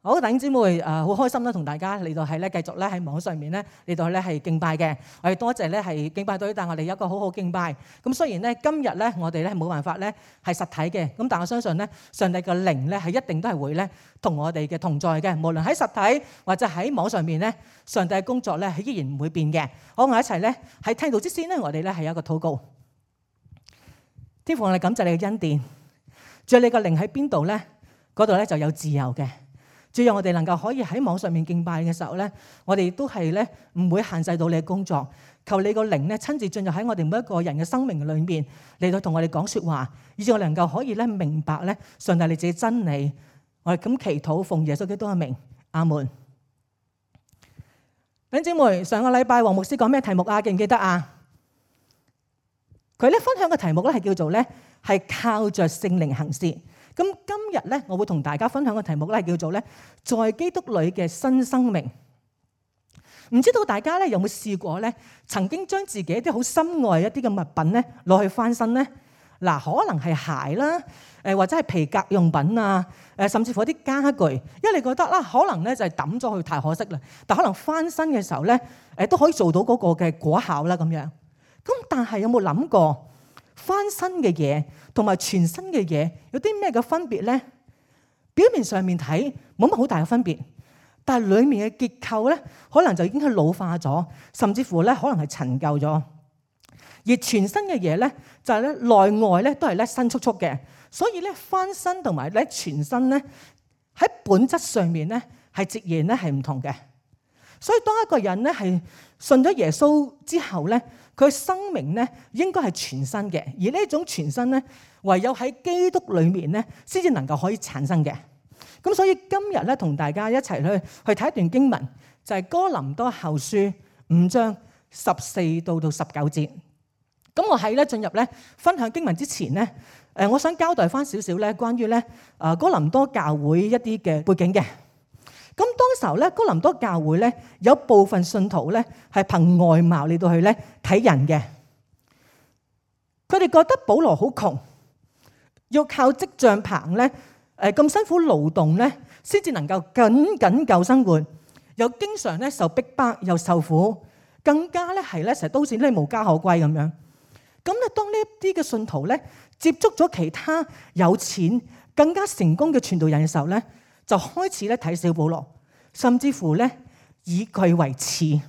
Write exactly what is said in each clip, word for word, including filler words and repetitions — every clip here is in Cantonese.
好，弟兄姊妹，誒、呃、好開心啦，同大家嚟到係咧繼續咧喺網上面咧嚟到咧係敬拜嘅。我哋多謝咧係敬拜隊帶我哋有一個好好敬拜。咁雖然咧今日咧我哋咧冇辦法咧係實體嘅，咁但我相信咧上帝嘅靈咧係一定都係會咧同我哋嘅同在嘅。無論喺實體或者喺網上面咧，上帝嘅工作咧係依然唔會變嘅。好，我一齊咧喺聽道之先咧，我哋咧係有一個禱告。天父，我哋感謝你嘅恩典，主，你個靈喺邊度咧？嗰度咧就有自由嘅。主，讓我哋能夠可以喺網上面敬拜嘅時候咧，我哋都係咧唔會限制到你嘅工作。求你個靈咧親自進入喺我哋每一個人嘅生命裏面，嚟到同我哋講說話，以致我哋能夠可以咧明白咧上帝你自己真理。我哋咁祈禱，奉耶穌基督嘅名，阿門。弟兄姊妹，上個禮拜黃牧師講咩題目啊？記唔記得啊？佢咧分享嘅題目咧係叫做咧係靠着聖靈行事。咁今日咧，我會同大家分享嘅題目咧，係叫做咧，在基督裏嘅新生命。唔知道大家咧有冇試過咧，曾經將自己一啲好心愛一啲嘅物品咧攞去翻新咧？嗱，可能係鞋啦，誒或者係皮革用品啊，誒甚至乎一啲家具，因為你覺得啦，可能咧就係抌咗佢太可惜啦，但可能翻新嘅時候咧，誒都可以做到嗰個嘅果效啦咁樣。咁但係有冇諗過翻新嘅嘢同埋全新嘅嘢有啲咩嘅分別咧？表面上面睇冇乜好大嘅分別，但係裡面嘅結構咧，可能就已經係老化咗，甚至乎咧可能係陳舊咗。而全新嘅嘢咧，就係咧內外咧都係咧新簇簇嘅，所以咧翻新同埋咧全新咧喺本質上面咧係截然咧係唔同嘅。所以當一個人咧係信咗耶穌之後咧，佢生命咧應該係全新嘅，而呢一種全新咧，唯有喺基督裏面咧，先至能夠可以產生嘅。咁所以今日咧，同大家一齊去去睇一段經文，就係哥林多後書五章十四到到十九節。咁我喺咧進入咧分享經文之前咧，誒，我想交代翻少少咧關於咧誒哥林多教會一啲嘅背景嘅。咁當時候咧，哥林多教會咧有部分信徒咧係憑外貌嚟到去咧睇人嘅。佢哋覺得保羅好窮，要靠織帳棚咧，誒咁辛苦勞動咧，先至能夠僅僅夠生活，又經常咧受逼迫，又受苦，更加咧係咧成日都好似咧無家可歸咁樣。咁咧，當呢一啲嘅信徒咧接觸咗其他有錢、更加成功嘅傳道人嘅時候咧，就開始咧睇小保羅，甚至乎咧以佢為恥。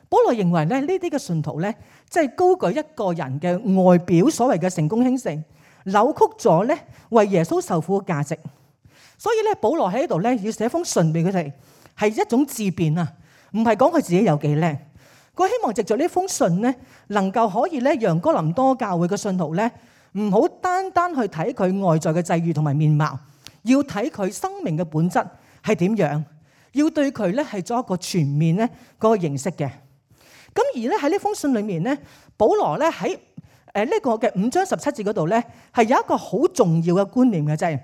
保羅認為咧呢啲嘅信徒咧，即係高舉一個人嘅外表，所謂嘅成功興盛，扭曲咗咧為耶穌受苦嘅價值。所以咧，保羅喺呢度咧要寫封信俾佢哋，係一種自辯啊，唔係講佢自己有幾叻。佢希望藉着呢封信咧，能夠可以咧讓哥林多教會嘅信徒咧，唔好單單去睇佢外在嘅際遇同埋面貌。要睇佢生命嘅本質係點樣，要對佢咧係做一個全面咧嗰個認識嘅。咁而咧喺呢封信裏面咧，保羅咧喺誒呢個嘅五章十七節嗰度咧，係有一個好重要嘅觀念嘅，就係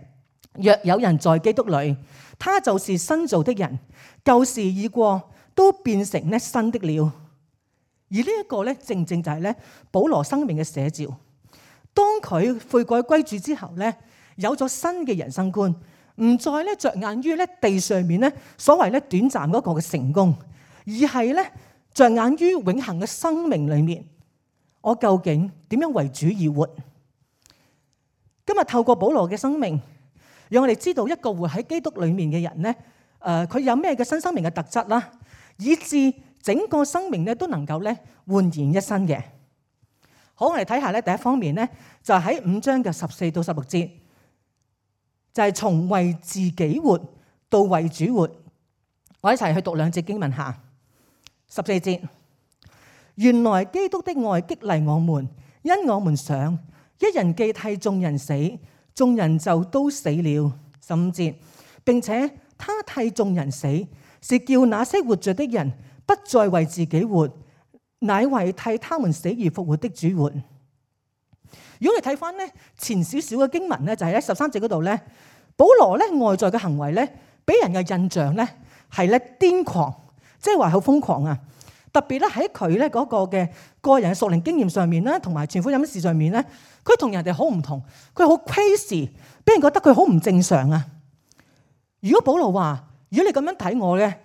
若有人在基督裏，他就是新造的人，舊事已過，都變成咧新的了。而呢一個咧正正就係咧保羅生命嘅寫照。當佢悔改歸主之後咧，有咗新嘅人生觀，唔再咧着眼於咧地上面咧所謂咧短暫嗰個嘅成功，而係咧着眼於永恆嘅生命裏面，我究竟點樣為主而活？今日透過保羅嘅生命，讓我哋知道一個活喺基督裏面嘅人咧，誒，佢有咩嘅新生命嘅特質啦，以致整個生命咧都能夠咧煥然一新嘅。好，我哋睇下咧第一方面咧，就喺五章嘅十四到十六節。就係從為自己活到為主活，我一齊去讀兩節經文下。十四節，原來基督的愛激勵我們，因我們想一人既替眾人死，眾人就都死了。十五節，並且他替眾人死，是叫那些活着的人不再為自己活，乃為替他們死而復活的主活。如果你睇翻咧前少少嘅經文咧，就係喺十三節嗰度咧，保羅咧外在嘅行為咧，俾人嘅印象咧係咧癲狂，即係話好瘋狂啊！特別咧喺佢咧嗰個嘅個人嘅屬靈經驗上面啦，同埋傳福音事上面咧，佢同人哋好唔同，佢好 crazy，俾人覺得佢好唔正常啊！如果保羅話，如果你咁樣睇我咧，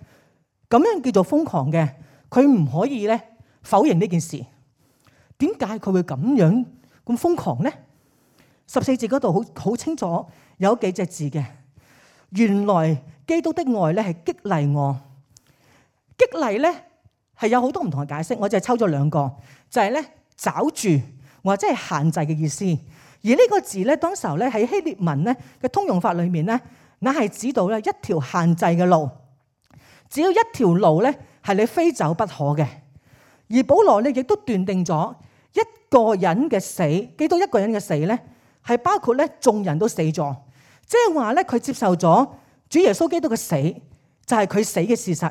咁樣叫做瘋狂嘅，佢唔可以咧否認呢件事。點解佢會咁樣咁瘋狂咧？十四節嗰度好好清楚有幾隻字嘅。原來基督的愛咧係激勵我，激勵咧係有好多唔同嘅解釋，我就係抽咗兩個，就係咧抓住或者係限制嘅意思。而呢個字咧，當時候咧喺希臘文咧嘅通用法裏面咧，那係指到咧一條限制嘅路，只要一條路咧係你非走不可嘅。而保羅咧亦都斷定咗一個人嘅死，基督一個人嘅死咧係包括咧眾人都死咗。即係話咧，佢接受咗主耶穌基督嘅死，就係佢死嘅事實。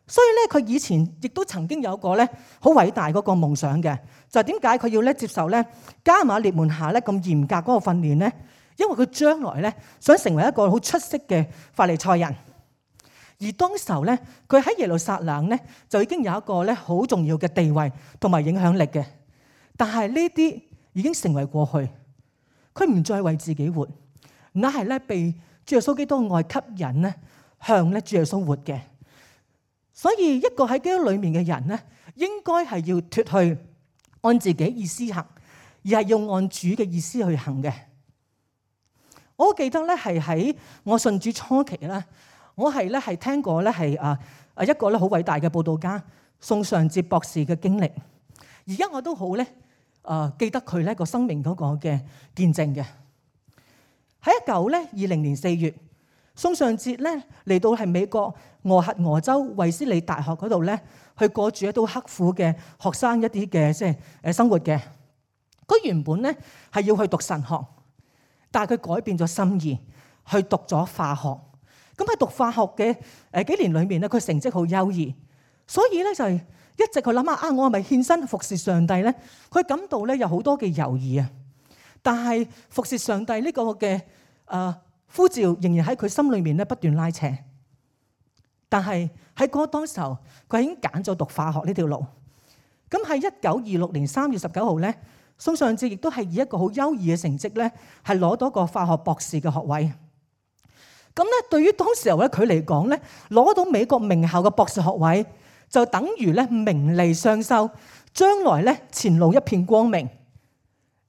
所以咧，佢以前亦都曾經有個咧好偉大嗰個夢想嘅，就係點解佢要咧接受咧加瑪列門下咧咁嚴格嗰個訓練咧？因為佢將來咧想成為一個好出色嘅法利賽人。而當時候咧，佢喺耶路撒冷咧就已經有一個咧好重要嘅地位同埋影響力嘅。但係呢啲已經成為過去，佢唔再為自己活。那係咧被主耶穌基督嘅愛吸引咧，向咧主耶穌活嘅。所以一個喺基督裏面嘅人咧，應該係要脫去按自己意思行，而係要按主嘅意思去行嘅。我記得咧係喺我信主初期咧，我係咧係聽過咧係啊啊一個咧好偉大嘅佈道家宋尚節博士嘅經歷。而家我都好咧啊記得佢咧個生命嗰個嘅見證嘅。喺一九咧二零年四月，宋尚節咧嚟到係美國俄亥俄州衛斯理大學嗰度咧，去過住一啲刻苦嘅學生一啲嘅即係誒生活嘅。佢原本咧係要去讀神學，但係佢改變咗心意，去讀咗化學。咁喺讀化學嘅誒幾年裏面咧，佢成績好優異，所以咧就係一直佢諗下啊，我係咪獻身服侍上帝咧？佢感到咧有好多嘅猶豫啊。但係服侍上帝呢個嘅誒呼召仍然喺佢心裏面咧不斷拉扯。但係喺嗰當時候，佢已經揀咗讀化學呢條路。咁喺一九二六年三月十九號咧，宋尚節亦都係以一個好優異嘅成績咧，係攞到個化學博士嘅學位。咁咧，對於當時候咧佢嚟講咧，攞到美國名校嘅博士學位，就等於咧名利雙收，將來咧前路一片光明。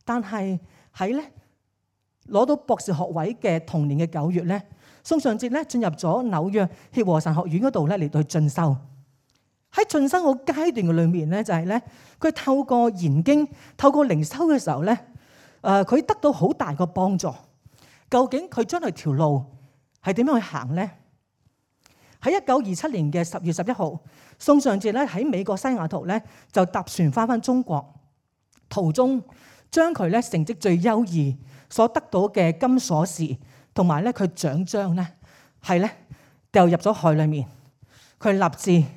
但係喺咧攞到博士學位嘅同年嘅九月咧，宋尚節咧進入咗紐約協和神學院嗰度咧嚟到去進修。喺進修個階段嘅裏面咧，就係咧佢透過研經、透過靈修嘅時候咧，誒佢得到好大個幫助。究竟佢將來條路係點樣去行咧？喺一九二七年嘅十月十一號，宋尚節咧喺美國西雅圖咧就搭船翻返中國，途中將佢咧成績最優異所得到嘅金鎖匙同埋咧佢獎章咧係咧掉入咗海裡面。佢立志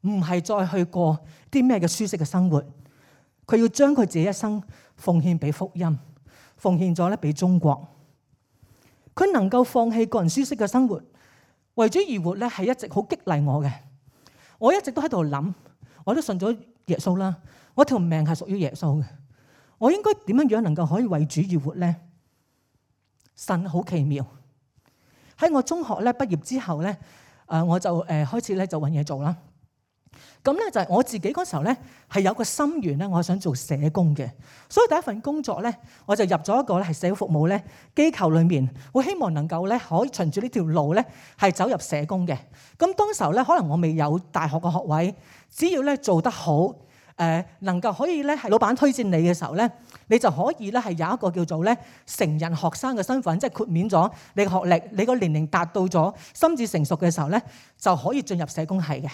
唔係再去過啲咩嘅舒適嘅生活，佢要將佢自己一生奉獻俾福音，奉獻咗咧俾中國。佢能夠放棄個人舒適嘅生活，為主而活咧，係一直好激勵我嘅。我一直都喺度諗，我都信咗耶穌啦，我條命係屬於耶穌嘅。我應該點樣樣能夠可以為主而活咧？神好奇妙。喺我中學咧畢業之後咧，誒我就誒開始咧就揾嘢做啦。咁咧就係我自己嗰時候咧係有個心願咧，我係想做社工嘅。所以第一份工作咧，我就入咗一個咧係社會服務咧機構裏面，我希望能夠咧可以循住呢條路咧係走入社工嘅。咁當時候咧，可能我未有大學嘅學位，只要咧做得好。誒能夠可以咧係老闆推薦你嘅時候咧，你就可以咧係有一個叫做咧成人學生嘅身份，即係豁免咗你嘅學歷，你個年齡達到咗心智成熟嘅時候咧，就可以進入社工系嘅。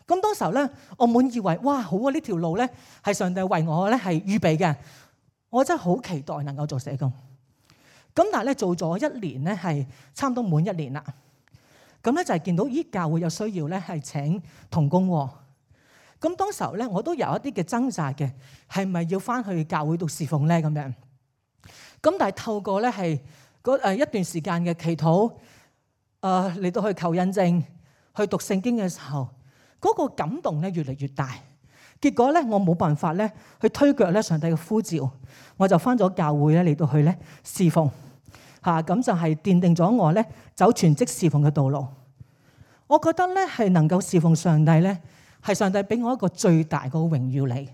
咁當時候咧，我滿以為哇好啊，呢條路咧係上帝為我咧係預備嘅，我真係好期待能夠做社工。咁但係咧做咗一年咧係差唔多滿一年啦。咁咧就係見到咦教會有需要咧係請同工喎。咁當時候咧，我都有一啲嘅掙扎嘅，係咪要翻去教會度侍奉咧咁樣？咁但係透過咧係嗰誒一段時間嘅祈禱，誒嚟到去求印證，去讀聖經嘅時候，嗰個感動咧越嚟越大。結果咧，我冇辦法咧去推卻咧上帝嘅呼召，我就翻咗教會咧嚟到去咧侍奉。嚇，咁就係奠定咗我咧走全職侍奉嘅道路。我覺得咧係能夠侍奉上帝咧，係上帝俾我一個最大嘅榮耀嚟。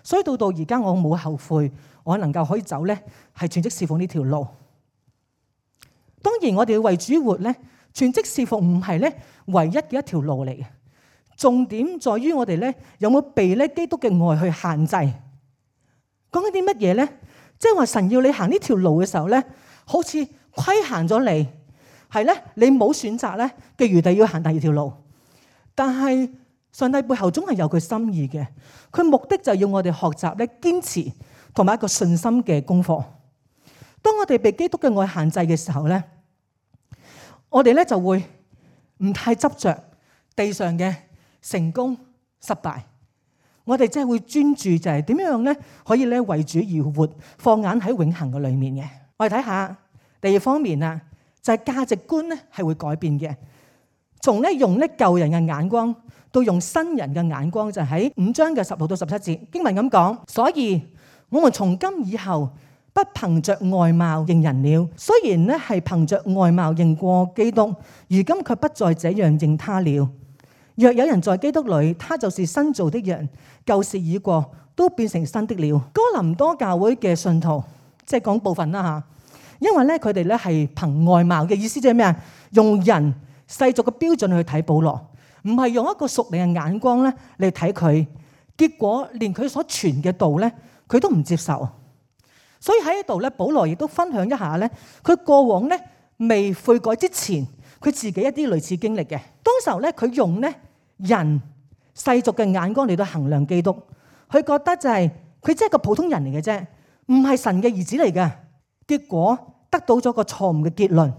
所以到到而家我冇後悔，我能夠可以走咧係全職侍奉呢條路。當然我哋要為主活咧，全職侍奉唔係咧唯一嘅一條路嚟嘅。重點在於我哋咧有冇被咧基督嘅愛去限制。講緊啲乜嘢咧？即係話神要你行呢條路嘅時候咧，好似規限咗你，係咧你冇選擇咧嘅餘地要行第二條路。但係上帝背後總係有佢心意嘅，佢目的就係要我哋學習咧堅持同埋一個信心嘅功課。當我哋被基督嘅愛限制嘅時候咧，我哋咧就會唔太執着地上嘅成功失敗，我哋真係會專注就係點樣咧可以咧為主而活，放眼喺永恆嘅裏面嘅。我哋睇下第二方面啊，就係價值觀咧係會改變嘅，從咧用咧舊人嘅眼光到用新人嘅眼光，就喺五章嘅十六到十七節經文咁講。所以我們從今以後不憑着外貌認人了，雖然咧係憑着外貌認過基督，如今卻不再這樣認他了。若有人在基督裏，他就是新造的人，舊事已過，都變成新的了。哥林多教會嘅信徒，即係講部分啦吓，因為咧佢哋咧係憑外貌嘅意思，即係咩啊？用人世俗嘅標準去睇保羅，唔係用一個屬靈嘅眼光咧嚟睇佢，結果連佢所傳嘅道咧，佢都唔接受。所以喺呢度咧，保羅亦都分享一下咧，佢過往咧未悔改之前，佢自己一啲類似經歷嘅。當時候咧，佢用咧人世俗嘅眼光嚟到衡量基督，佢覺得就係佢只係個普通人嚟嘅啫，唔係神嘅兒子嚟嘅。結果得到咗個錯誤嘅結論，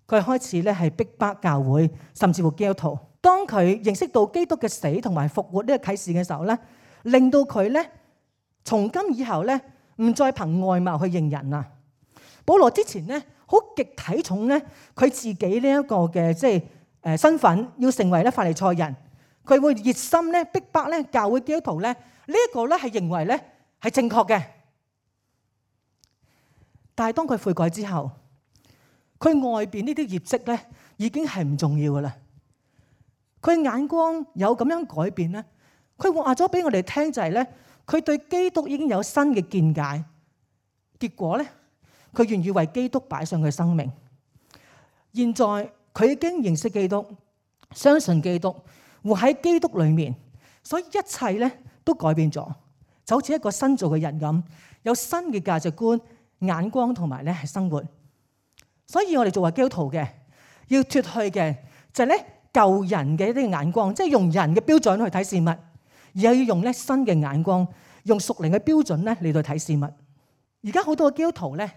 佢開始咧係逼迫教會，甚至乎基督徒。當佢認識到基督嘅死同埋復活呢個啟示嘅時候咧，令到佢咧從今以後咧唔再憑外貌去認人啊。保羅之前咧好極睇重咧佢自己呢一個嘅即係誒身份，要成為咧法利賽人，佢會熱心咧逼迫咧教會基督徒咧，呢一個咧係認為咧係正確嘅。但係當佢悔改之後，佢外邊呢啲業績咧已經係唔重要噶啦。佢眼光有咁樣改變咧，佢話咗俾我哋聽就係咧，佢對基督已經有新嘅見解。結果咧，佢願意為基督擺上佢生命。現在佢已經認識基督，相信基督，活喺基督裏面，所以一切咧都改變咗，就好似一個新造嘅人咁，有新嘅價值觀、眼光同埋咧係生活。所以我哋作為基督徒嘅，要脫去嘅就係咧舊人嘅一啲眼光，即係用人嘅標準去睇事物，而係要用咧新嘅眼光，用屬靈嘅標準咧嚟到睇事物。而家好多嘅基督徒咧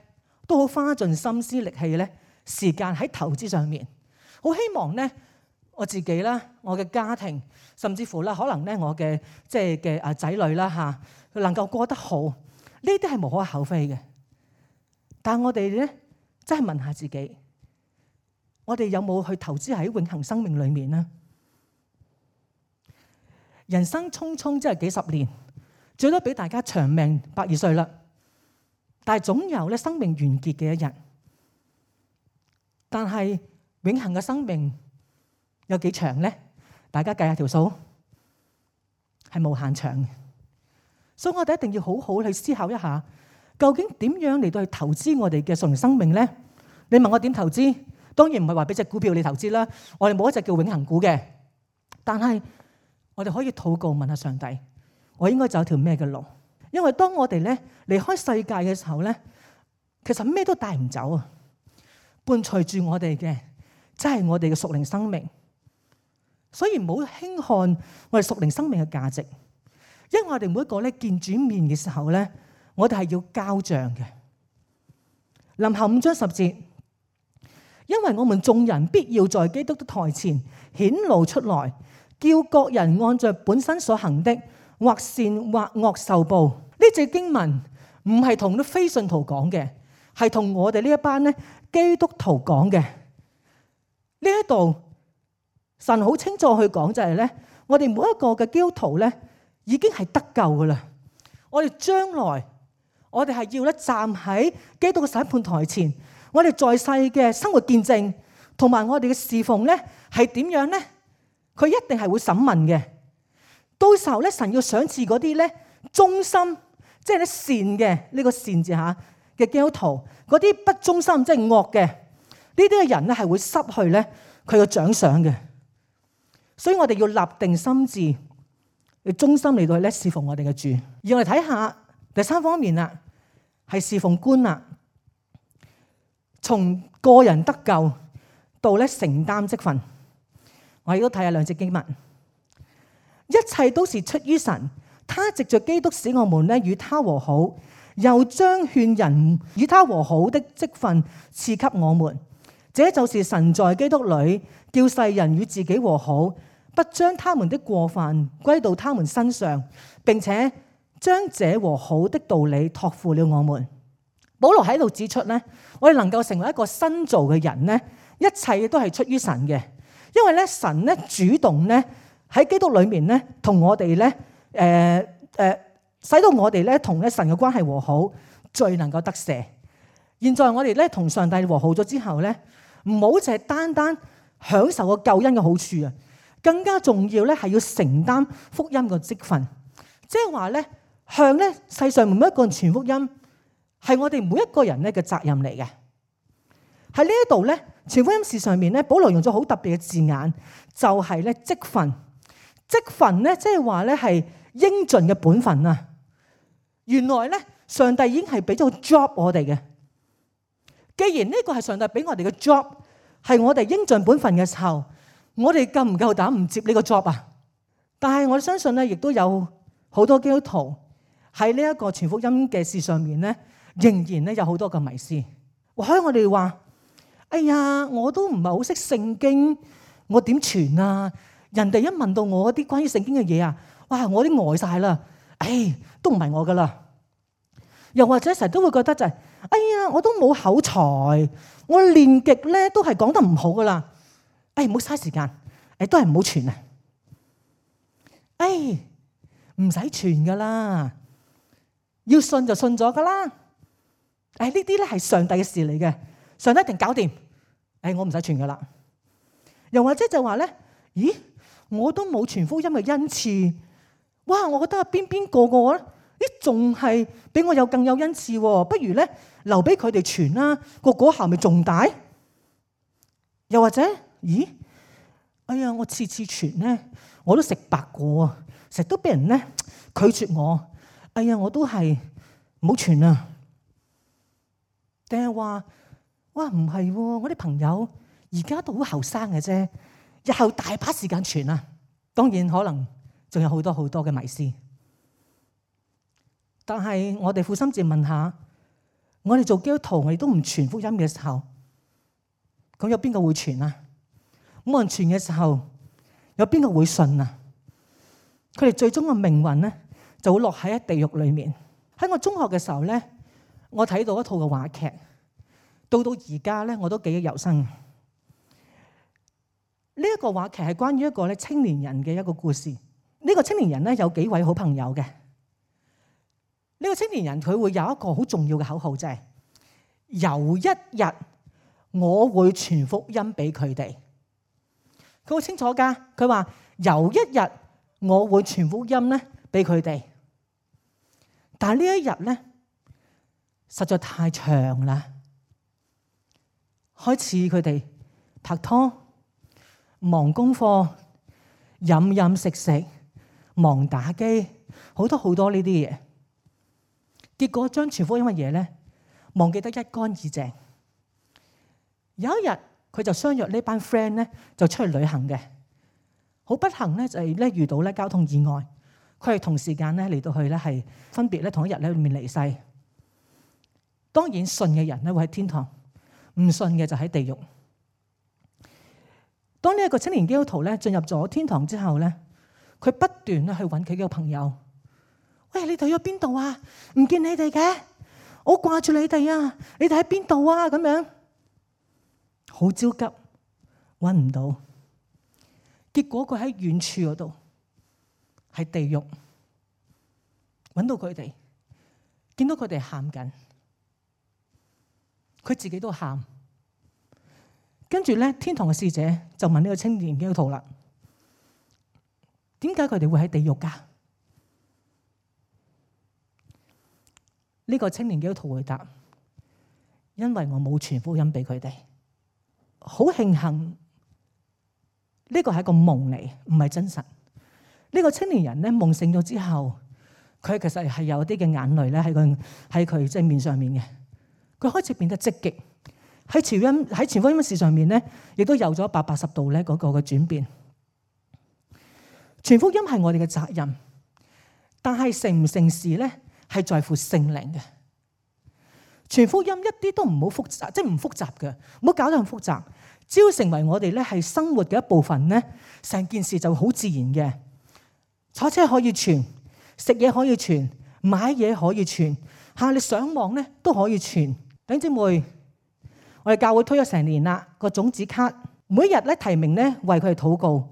都好花盡心思力氣咧時間喺投資上面，好希望咧我自己啦、我嘅家庭，甚至乎啦可能咧我嘅即係嘅啊仔女啦嚇，能夠過得好，呢啲係無可厚非嘅。但係我哋咧真係問下自己，我哋有冇去投資喺永恆生命裏面呢？人生匆匆即係幾十年，最多俾大家長命百二歲啦。但係總有咧生命完結嘅一日。但係永恆嘅生命有幾長咧？大家計下條數，係無限長嘅。所以我哋一定要好好去思考一下，究竟點樣嚟到去投資我哋嘅屬靈生命咧？你問我點投資？當然唔係話俾隻股票你投資啦。我哋冇一隻叫永恆股嘅，但係我哋可以禱告問下上帝，我應該走條咩嘅路？因為當我哋咧離開世界嘅時候咧，其實咩都帶唔走啊！伴隨住我哋嘅，真係我哋嘅屬靈生命。所以唔好輕看我哋屬靈生命嘅價值，因為我哋每一個咧見主面嘅時候咧，我哋係要交賬嘅。林後五章十節，因為我們眾人必要在基督的台前顯露出來，叫各人按照本身所行的，或善或惡受報。呢隻經文唔係同啲非信徒講嘅，係同我哋呢一班咧基督徒講嘅。呢一度神好清楚去講就係咧，我哋每一個嘅基督徒咧已經係得救噶啦。我哋將來我哋係要咧站喺基督嘅審判台前，我哋在世嘅生活見證同埋我哋嘅侍奉咧係點樣咧？佢一定係會審問嘅。到時候咧，神要賞賜嗰啲咧忠心，即係咧善嘅呢、這個善字嚇嘅基督徒，嗰啲不忠心即係惡嘅呢啲嘅人咧係會失去咧佢嘅獎賞嘅。所以我哋要立定心志，要忠心嚟到咧侍奉我哋嘅主。而我哋睇下第三方面啦，係侍奉觀啦，從個人得救到咧承擔職分。我亦都睇下兩節經文，一切都是出於神，他藉着基督使我們咧與他和好，又將勸人與他和好的職分賜給我們。這就是神在基督裏叫世人與自己和好，不將他們的過犯歸到他們身上，並且將這和好的道理託付了我們。保羅喺度指出咧，我哋能夠成為一個新造嘅人咧，一切都係出於神嘅，因為咧神咧主動咧喺基督裏面咧同我哋咧誒誒，使到我哋咧同咧神嘅關係和好，最能夠得赦。現在我哋咧同上帝和好咗之後咧，唔好淨係單單享受個救恩嘅好處啊！更加重要咧，係要承擔福音嘅職分，即係話咧，向咧世上每一個人傳福音，係我哋每一個人咧嘅責任嚟嘅。喺呢一度咧，傳福音事上面咧，保羅用咗好特別嘅字眼，就係咧職分。職分咧，即係話咧係應盡嘅本分啊！原來咧，上帝已經係俾咗個 job 我哋嘅。既然呢個係上帝俾我哋嘅 job，係我哋應盡本分嘅時候，我哋夠唔夠膽唔接呢個 job 啊？但係我相信咧，亦都有好多基督徒喺呢一個傳福音嘅事上面咧，仍然咧有好多嘅迷思。或許我哋話：哎呀，我都唔係好識聖經，我點傳啊？人哋一問到我啲關於聖經嘅嘢啊，哇！我啲呆晒啦，唉，都唔係我噶啦。又或者成日都會覺得就係、是，哎呀，我都冇口才，我練極咧都係講得唔好噶啦。哎，唔好嘥時間，誒都係唔好傳啊！哎，唔使傳噶啦，要信就信咗噶啦。誒呢啲咧係上帝嘅事嚟嘅，上帝一定搞掂。誒我唔使傳噶啦。又或者就話咧，咦，我都冇傳福音嘅恩賜。哇，我覺得邊邊個個咧，咦仲係比我有更有恩賜喎？不如咧留俾佢哋傳啦，個果效咪仲大？又或者？咦，哎呀，我次次傳咧，我都食白果啊，成日都俾人咧拒絕我。哎呀，我都係唔好傳啊。定係話，哇，唔係喎，我啲朋友而家都好後生嘅啫，日後大把時間傳啊。當然可能仲有好多好多嘅迷思。但係我哋負心自問下，我哋做基督徒，我哋都唔傳福音嘅時候，咁有邊個會傳啊？冇人傳嘅時候，有邊個會信啊？佢哋最終嘅命運咧，就會落喺地獄裏面。喺我中學嘅時候咧，我睇到一套嘅話劇，到到而家咧，我都記憶猶新。呢、這、一個話劇係關於一個咧青年人嘅一個故事。呢、這個青年人咧有幾位好朋友嘅。呢、這個青年人佢會有一個好重要嘅口號，就係、是、有一日我會傳福音俾佢哋。佢好清楚噶，佢話有一日我會傳福音咧俾佢哋，但係呢一日咧實在太長啦。開始佢哋拍拖、忙功課、飲飲食食、忙打機，好多好多呢啲嘢。結果將傳福音嘅嘢咧忘記得一乾二淨。有一日，佢就相約呢班 friend 咧，就出去旅行嘅。好不幸咧，就係咧遇到咧交通意外。佢係同時間咧嚟到去咧，係分別咧同一日咧裏面離世。當然信嘅人咧會喺天堂，唔信嘅就喺地獄。當呢一個青年基督徒咧進入咗天堂之後咧，佢不斷咧去揾佢嘅朋友。喂，你哋去咗邊度啊？唔見你哋嘅，我掛住你哋啊！你哋喺邊度啊？咁樣。好焦急，揾唔到，結果佢喺遠處嗰度，係地獄，揾到佢哋，見到佢哋喊緊，佢自己都喊。跟住咧，天堂嘅使者就問呢個青年基督徒啦：點解佢哋會喺地獄㗎？呢個青年基督徒回答：因為我冇傳福音俾佢哋。好慶幸呢個係一個夢嚟，唔係真實。呢個青年人咧，夢醒咗之後，佢其實係有啲嘅眼淚咧喺佢喺佢即係面上面嘅。佢開始變得積極。喺傳音喺傳福音事上面咧，亦都有咗一百八十度咧嗰個嘅轉變。傳福音係我哋嘅責任，但係成唔成事咧係在乎聖靈嘅。傳福音一啲都唔好複雜，即係唔複雜嘅，唔好搞得咁複雜。只要成為我哋咧係生活嘅一部分咧，成件事就好自然嘅。坐車可以傳，食嘢可以傳，買嘢可以傳，嚇你上網咧都可以傳。弟兄姊妹，我哋教會推咗成年啦，個種子卡每日咧提名咧為佢哋禱告，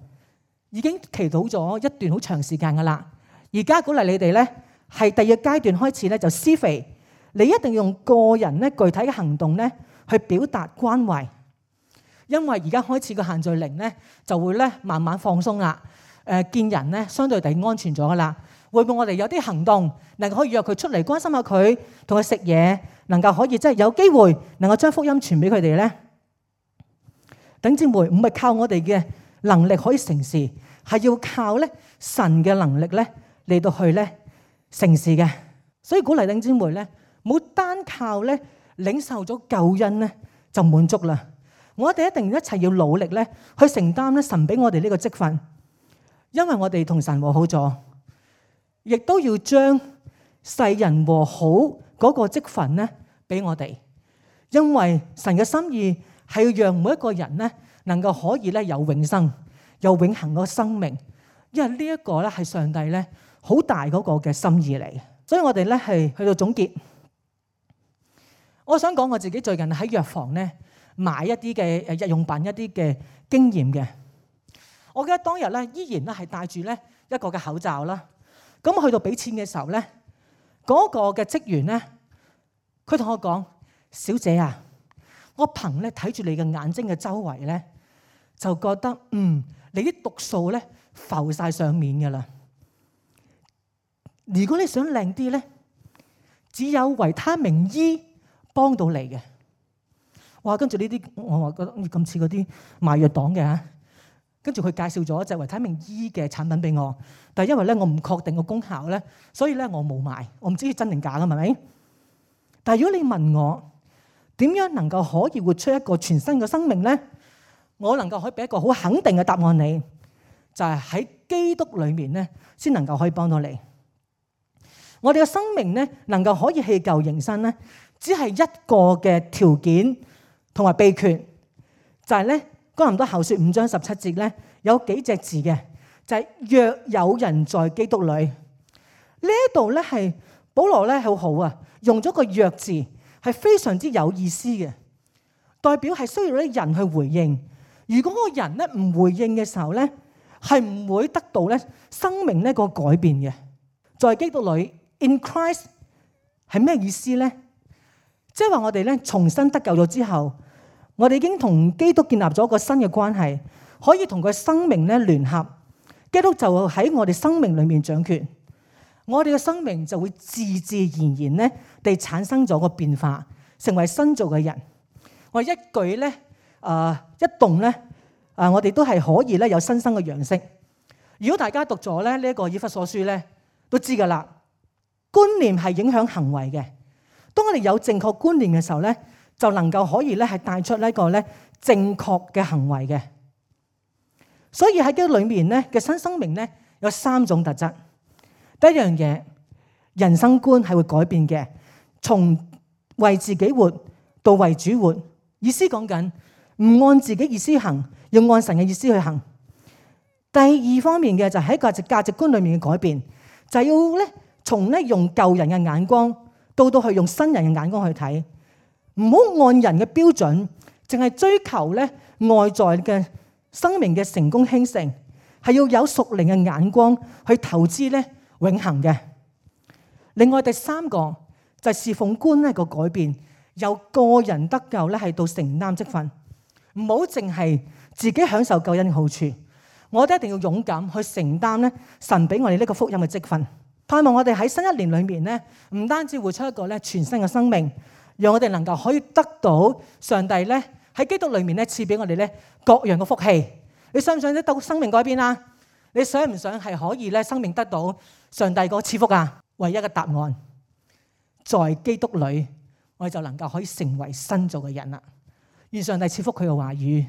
已經祈禱咗一段好長時間噶啦。而家鼓勵你哋咧係第二個階段開始咧就施肥，你一定要用個人咧具體嘅行動咧去表達關懷，因為而家開始個限聚令咧就會咧慢慢放鬆啦。誒、呃、見人咧相對地安全咗噶啦，會唔會我哋有啲行動能夠可以約佢出嚟關心下佢，同佢食嘢，能夠可以即係有機會能夠將福音傳俾佢哋咧？弟兄姊妹，唔係靠我哋嘅能力可以成事，係要靠咧神嘅能力咧嚟到去咧成事嘅。所以鼓勵弟兄姊妹咧，冇單靠咧領受咗救恩咧就滿足啦。我哋一定一齊要努力咧去承擔咧神俾我哋呢個職分。因為我哋同神和好咗，亦都要將世人和好嗰個職分咧俾我哋。因為神嘅心意係要讓每一個人咧能夠可以咧有永生，有永恆個生命。因為呢一個咧係上帝咧好大嗰個嘅心意嚟。所以我哋咧係去到總結。我想講我自己最近喺藥房咧買一啲嘅誒日用品一啲嘅經驗嘅。我記得當日咧，依然咧係戴住咧一個嘅口罩啦。咁我去到俾錢嘅時候咧，嗰個嘅職員咧，佢同我講：小姐啊，我憑咧睇住你嘅眼睛嘅周圍咧，就覺得嗯，你啲毒素咧浮晒上面㗎啦。如果你想靚啲咧，只有維他命 E 幫到你嘅。哇！跟住呢啲我話覺得咁似嗰啲賣藥黨嘅嚇。跟住佢介紹咗一隻維他命 E 嘅產品俾我，但係因為咧我唔確定個功效咧，所以咧我冇買，我唔知真定假㗎，係咪？但係如果你問我點樣能夠可以活出一個全新嘅生命咧，我能夠可以俾一個好肯定嘅答案你，就係喺基督裏面咧先能夠可以幫到你。我哋嘅生命咧能夠可以棄舊迎新咧，只係一個嘅條件同埋秘訣，就係咧。哥林多後書五章十七節咧有幾隻字嘅，就係、是、若有人在基督裏。呢一度咧係保羅咧好好啊，用咗個若字係非常之有意思嘅，代表係需要啲人去回應。如果個人咧唔回應嘅時候咧，係唔會得到咧生命呢個改變嘅。在基督裏 in Christ 係咩意思咧？即係話我哋咧重新得救咗之後。我哋已經同基督建立咗一個新嘅關係，可以同佢生命咧聯合。基督就喺我哋生命裏面掌權，我哋嘅生命就會自自然然咧地產生咗個變化，成為新造嘅人。我一舉咧，啊一動咧，啊我哋都係可以咧有新生嘅樣式。如果大家讀咗咧呢一個以弗所書咧，都知噶啦，觀念係影響行為嘅。當我哋有正確觀念嘅時候咧，就能夠可以咧係帶出呢個咧正確嘅行為嘅。所以喺基督裏面咧嘅新生命咧有三種特質。第一樣嘢，人生觀係會改變嘅，從為自己活到為主活。意思講緊唔按自己意思行，要按神嘅意思去行。第二方面嘅就係喺價值價值觀裏面嘅改變，就係要咧從咧用舊人嘅眼光到到去用新人嘅眼光去睇。唔好按人嘅標準，淨係追求咧外在嘅生命嘅成功興盛，係要有屬靈嘅眼光去投資咧永恆嘅。另外第三個就係侍奉觀咧個改變，由個人得救咧係到承擔職分，唔好淨係自己享受救恩嘅好處。我哋一定要勇敢去承擔咧神俾我哋呢個福音嘅職分。盼望我哋喺新一年裏面咧，唔單止活出一個咧全新嘅生命，讓我哋能夠可以得到上帝咧喺基督裏面咧賜俾我哋咧各樣嘅福氣。你想唔想得到生命改變啊？你想唔想係可以咧生命得到上帝個賜福啊？唯一嘅答案，在基督裏，我哋就能夠可以成為新造嘅人啦。願上帝賜福佢嘅話語。